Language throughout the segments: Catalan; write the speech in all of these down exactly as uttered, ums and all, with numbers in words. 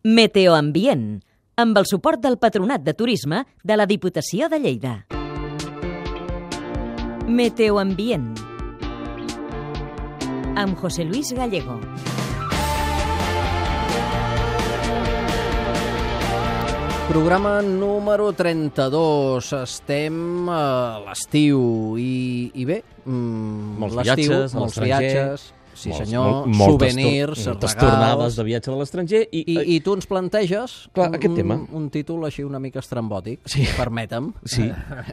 Meteoambient, amb el suport del Patronat de Turisme de la Diputació de Lleida. Meteoambient, amb José Luis Gallego. Programa número trenta-dos. Estem a l'estiu i, i bé, mm, molts l'estiu, viatges, molts viatges, sí molts, senyor, molt, souvenirs, moltes regals. tornades de viatge a l'estranger. I, I, I tu ens planteges Clar, un, aquest tema. un, un títol així una mica estrambòtic, Sí. permetem. Sí,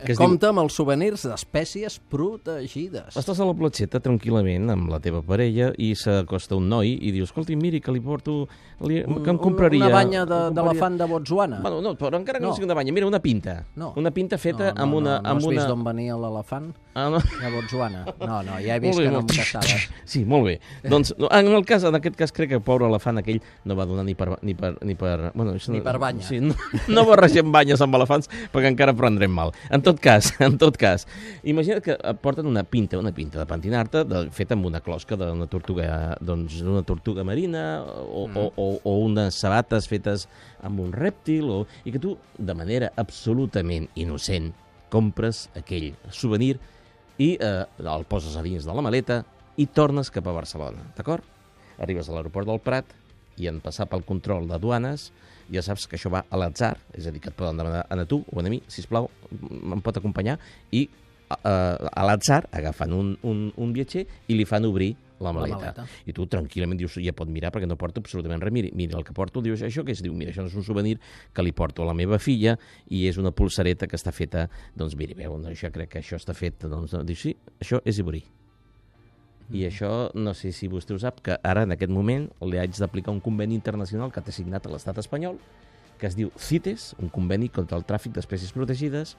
que es Compte amb els souvenirs d'espècies protegides. Estàs a la platgeta tranquil·lament amb la teva parella i s'acosta un noi i dius, escolti, miri, que li porto... Li, que em compraria... Una banya de- em compraria- d'elefant de Botswana. Bueno, no, però encara que no, No. sigui una banya. Mira, una pinta. No. Una pinta feta no, no, amb una... No, no amb has una... vist d'on venia l'elefant? Ah, no. De Botswana. No, no, ja he vist Molt bé, que no molt- em caçaves. Sí, molt bé. Doncs, no, en el cas, en aquest cas, crec que el pobre elefant aquell no va donar ni per... Ni per, ni per, bueno, això, Ni per banya. Sí, no, no barregem banyes amb elefants perquè encara prendrem mal. En tot cas, en tot cas, imagina't que et porten una pinta, una pinta de pentinar-te de, feta amb una closca d'una tortuga, doncs, d'una tortuga marina o, mm. o, o, o unes sabates fetes amb un rèptil o, i que tu, de manera absolutament innocent, compres aquell souvenir i eh, el poses a dins de la maleta i tornes cap a Barcelona, d'acord? Arribes a l'aeroport del Prat i en passar pel control de duanes ja saps que això va a l'atzar, és a dir, que et poden demanar a tu o a mi, sisplau, em pot acompanyar, i eh, a l'atzar agafen un, un, un viatger i li fan obrir la maleta. la maleta. I tu tranquil·lament dius, ja pot mirar perquè no porto absolutament res. Mira, mira el que porto, dius, això què és? Diu, mira, això no és un souvenir que li porto a la meva filla i és una pulsareta que està feta, doncs miri, veu, això crec que això està fet, doncs, dius, sí, això és Ivorí. I això, no sé si vostè ho sap, que ara, en aquest moment, li haig d'aplicar un conveni internacional que té signat a l'estat espanyol, que es diu CITES, un conveni contra el tràfic d'espècies protegides,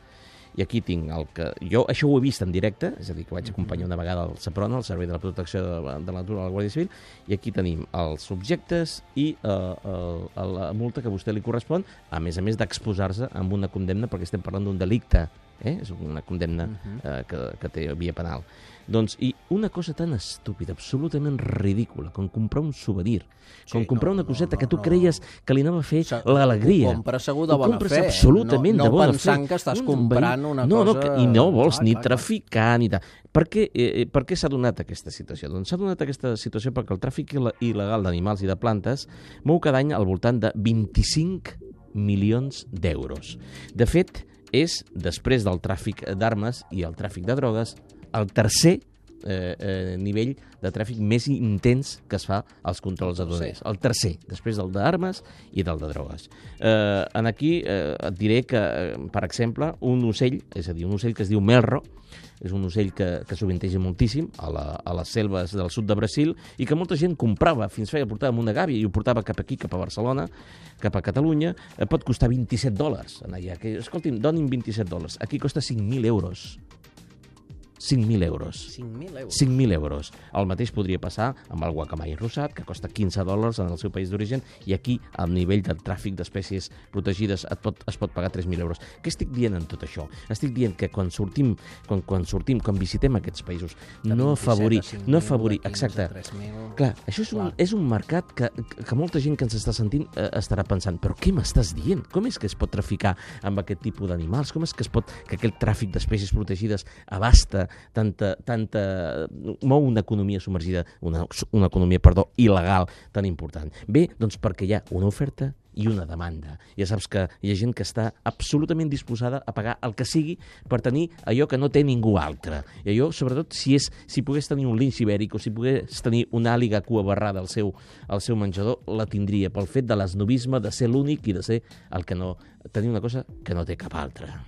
i aquí tinc el que... Jo això ho he vist en directe, és a dir, que vaig acompanyar una vegada al SEPRONA, el Servei de la Protecció de la, de la Natura de la Guàrdia Civil, i aquí tenim els subjectes i eh, el, la multa que a vostè li correspon, a més a més d'exposar-se amb una condemna, perquè estem parlant d'un delicte, eh? És una condemna eh, que, que té via penal. Doncs, i una cosa tan estúpida, absolutament ridícula, com comprar un souvenir, com Sí, comprar no, una coseta no, que tu no. creies que li anava a fer Se- l'alegria. Ho compres segur de Ho bona compres fe. absolutament no, de bona fe. No pensant que estàs comprant una no, cosa... No, que, i no vols Clar, ni clar, traficar ni tal. Per què, eh, per què s'ha donat aquesta situació? Doncs s'ha donat aquesta situació perquè el tràfic il- il·legal d'animals i de plantes mou cada any al voltant de vint-i-cinc milions d'euros. De fet, és, després del tràfic d'armes i el tràfic de drogues, el tercer Eh, eh, nivell de tràfic més intens que es fa als controls aduaners. El tercer, després del d'armes i del de drogues. Eh, en aquí eh, et diré que, eh, per exemple, un ocell, és a dir, un ocell que es diu melro, és un ocell que, que sovinteja moltíssim a, la, a les selves del sud de Brasil i que molta gent comprava, fins feia, portava amb una gàbia i ho portava cap aquí, cap a Barcelona, cap a Catalunya, eh, pot costar vint-i-set dòlars. Allà, que, escolti'm, donin vint-i-set dòlars. Aquí costa cinc mil euros. cinc mil euros. cinc mil euros. cinc mil euros. El mateix podria passar amb el guacamai rosat, que costa quinze dòlars en el seu país d'origen, i aquí, al nivell del tràfic d'espècies protegides, et pot, es pot pagar tres mil euros. Què estic dient en tot això? Estic dient que quan sortim, quan, quan sortim, quan visitem aquests països, De no afavorir, vint-i-set a cinc no mil, afavorir, de quinze a exacte. tres mil. Clar, això és un, Clar. és un mercat que, que molta gent que ens està sentint eh, estarà pensant, però què m'estàs dient? Com és que es pot traficar amb aquest tipus d'animals? Com és que es pot, que aquest tràfic d'espècies protegides abasta tanta, tanta, mou una economia submergida, una, una economia, perdó, il·legal tan important? Bé, doncs perquè hi ha una oferta i una demanda. Ja saps que hi ha gent que està absolutament disposada a pagar el que sigui per tenir allò que no té ningú altre. I allò, sobretot, si, és, si pogués tenir un linx ibèric o si pogués tenir una àliga cua barrada al seu, al seu menjador, la tindria pel fet de l'esnovisme, de ser l'únic i de ser el que no... tenir una cosa que no té cap altra.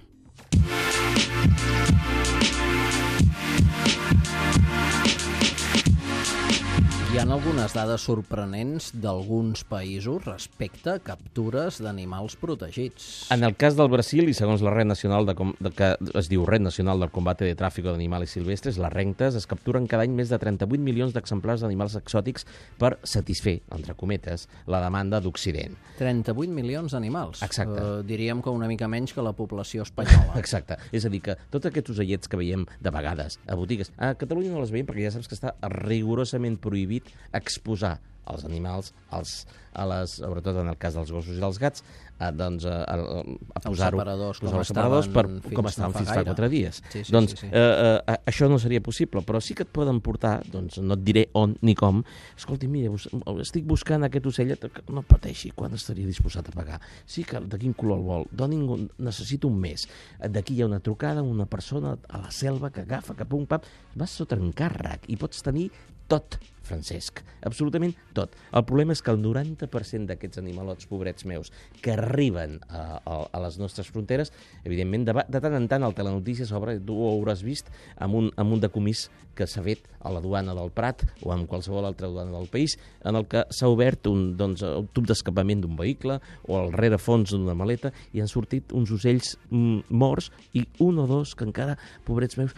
Hi ha algunes dades sorprenents d'alguns països respecte a captures d'animals protegits. En el cas del Brasil, i segons la Red Nacional de, Com- de que es diu Red Nacional del Combate de Tráfico de Animales Silvestres, les renques, es capturen cada any més de trenta-vuit milions d'exemplars d'animals exòtics per satisfer, entre cometes, la demanda d'Occident. trenta-vuit milions d'animals. Exacte. Uh, diríem que una mica menys que la població espanyola. Exacte. És a dir, que tots aquests ocellets que veiem de vegades a botigues, a Catalunya no les veiem perquè ja saps que està rigorosament prohibit exposar als animals, als, a les, sobretot en el cas dels gossos i dels gats, a, doncs, a, a, a posar-ho separadors, posar com els separadors per, estaven com fins estaven no fa fins fa gaire. quatre dies. Sí, sí, doncs sí, sí. Eh, eh, això no seria possible, però sí que et poden portar, doncs no et diré on ni com, escolti, mira, bus estic buscant aquest ocellet, no pateixi, quan estaria disposat a pagar? Sí, que de quin color el vol? Doni'm un, necessito un mes. D'aquí hi ha una trucada, una persona a la selva que agafa, que pum, pam, vas sota encàrrec i pots tenir tot, Francesc, absolutament tot. El problema és que el noranta per cent d'aquests animalots, pobrets meus, que arriben a, a, a les nostres fronteres, evidentment, de, de tant en tant el Telenotícies obre, tu ho hauràs vist, amb un, amb un decomís que s'ha fet a la duana del Prat o en qualsevol altra duana del país, en el que s'ha obert un, doncs, un tub d'escapament d'un vehicle o al rerefons d'una maleta i han sortit uns ocells mm, morts i un o dos que encara, pobrets meus,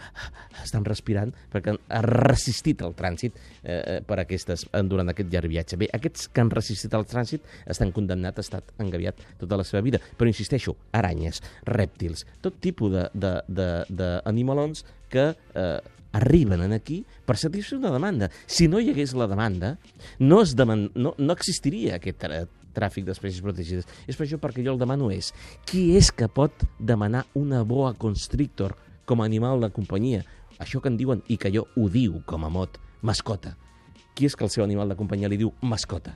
estan respirant perquè han resistit el trànsit eh, per aquestes, durant aquest llarg viatge. Bé, aquests que han resistit el trànsit estan condemnats a estar engaviat tota la seva vida. Però insisteixo, aranyes, rèptils, tot tipus d'animalons que eh, arriben aquí per satisfer una demanda. Si no hi hagués la demanda, no, es deman no, no existiria aquest tra tràfic d'espècies protegides. És per això perquè jo el demano és qui és que pot demanar una boa constrictor com a animal de companyia? Això que en diuen, i que jo ho diu com a mot, mascota. Qui és que el seu animal de companyia li diu mascota?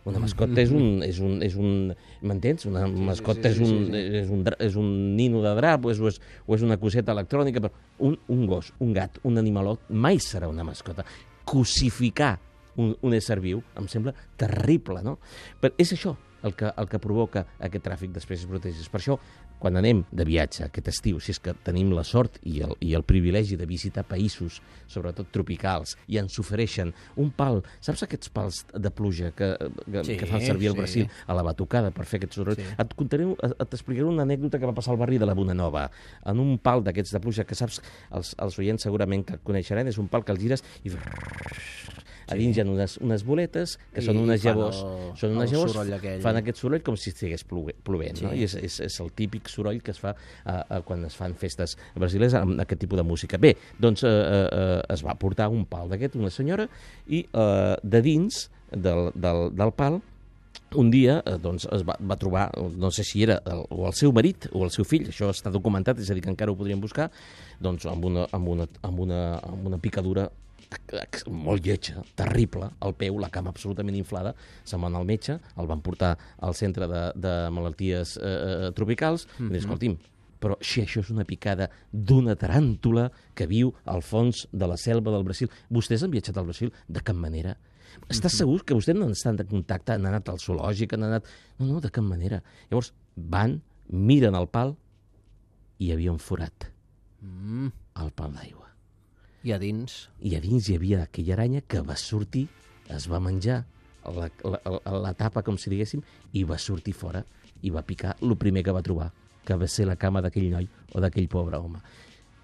Una mascota és un... És un, és un m'entens? Una mascota és un, és, un, és un nino de drap o és, o és, o és una coseta electrònica. Però un, un gos, un gat, un animalot mai serà una mascota. Cosificar un, un ésser viu em sembla terrible, no? Però és això el que, el que provoca aquest tràfic d'espècies protegides. Per això, quan anem de viatge aquest estiu, si és que tenim la sort i el, i el privilegi de visitar països, sobretot tropicals, i ens ofereixen un pal, saps aquests pals de pluja que, que, sí, que fan servir al Brasil sí. a la batucada per fer aquest soroll? Sí. Et contaré, t'explicaré una anècdota que va passar al barri de la Bonanova, en un pal d'aquests de pluja que saps, els, els oients segurament que coneixeran, és un pal que el gires i... A dins hi ha unes, unes boletes, que I són unes llavors, el, són unes llavors fan aquest soroll com si estigués plovent, sí. no? I és, és, és el típic soroll que es fa uh, uh, quan es fan festes brasileres amb aquest tipus de música. Bé, doncs uh, uh, es va portar un pal d'aquest, una senyora, i uh, de dins del, del, del pal un dia eh, doncs, es va, va trobar, no sé si era el, o el seu marit o el seu fill, això està documentat, és a dir, que encara ho podríem buscar, doncs amb una, amb una, amb una, amb una picadura molt lletja, terrible, al peu, la cama absolutament inflada, se'n va anar al metge, el van portar al centre de, de malalties eh, tropicals, mm-hmm. i dius, escolti'm, però si això és una picada d'una taràntula que viu al fons de la selva del Brasil, vostès han viatjat al Brasil? De cap manera. Estàs mm-hmm. segur que vostès no estan de contacte, han anat al zoològic, han anat... No, no, de cap manera. Llavors, van, miren el pal i hi havia un forat mm. al pal d'aigua. I a dins? I a dins hi havia aquella aranya que va sortir, es va menjar la, la, la, la tapa, com si diguéssim, i va sortir fora i va picar el primer que va trobar, que va ser la cama d'aquell noi o d'aquell pobre home.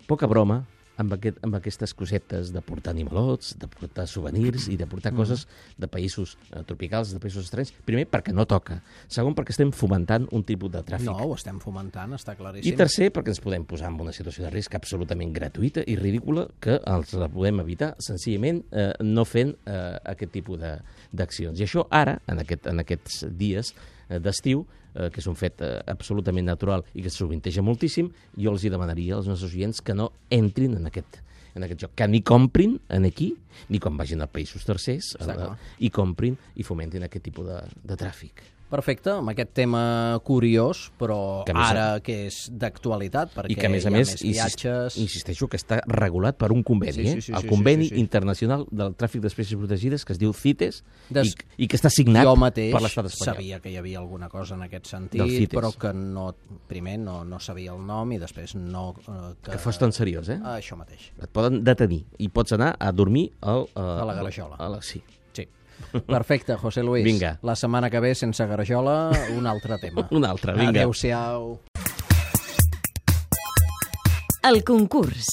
Poca broma amb, aquest, amb aquestes cosetes de portar animalots, de portar souvenirs i de portar mm. coses de països eh, tropicals, de països estranys. Primer, perquè no toca. Segon, perquè estem fomentant un tipus de tràfic. No, ho estem fomentant, està claríssim. I tercer, perquè ens podem posar en una situació de risc absolutament gratuïta i ridícula que els la podem evitar senzillament eh, no fent eh, aquest tipus d'accions. I això ara, en, aquest, en aquests dies eh, d'estiu, eh, que és un fet eh, absolutament natural i que sovinteja moltíssim, jo els hi demanaria als nostres oients que no entrin en aquest, en aquest joc, que ni comprin en aquí, ni quan vagin a països tercers, eh, i comprin i fomentin aquest tipus de, de tràfic. Perfecte, amb aquest tema curiós, però que ara a... que és d'actualitat, perquè I que, a més a hi ha més, més viatges... Insisteixo que està regulat per un conveni, sí, sí, sí, eh? el sí, conveni sí, sí, sí. internacional del tràfic d'espècies protegides, que es diu CITES, Des... i, i que està signat jo mateix per l'estat espanyol. Sabia que hi havia alguna cosa en aquest sentit, però que no, primer no, no sabia el nom i després no... Eh, que... que fos tan seriós, eh? Ah, això mateix. Et poden detenir i pots anar a dormir al, uh, a la Galajola. A la, sí. Sí. Perfecte, José Luis. Vinga. La setmana que ve, sense Garajola, un altre tema. un altre, vinga. Adéu-siau. El concurs.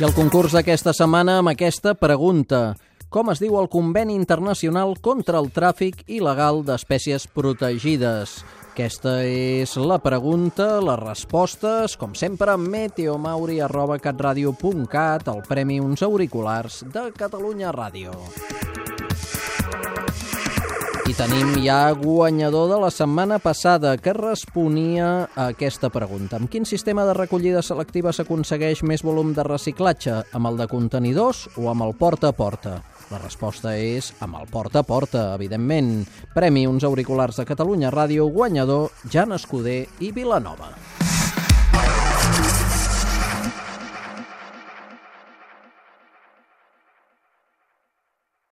I el concurs d'aquesta setmana amb aquesta pregunta. Com es diu el Conveni Internacional contra el Tràfic Il·legal d'Espècies Protegides? Aquesta és la pregunta, les respostes, com sempre, meteomauri arroba catradio punt cat, el premi Uns Auriculars de Catalunya Ràdio. I tenim ja guanyador de la setmana passada que responia a aquesta pregunta. Amb quin sistema de recollida selectiva s'aconsegueix més volum de reciclatge? Amb el de contenidors o amb el porta a porta? La resposta és amb el porta a porta, evidentment. Premi Uns Auriculars de Catalunya Ràdio, guanyador Jan Escuder i Vilanova.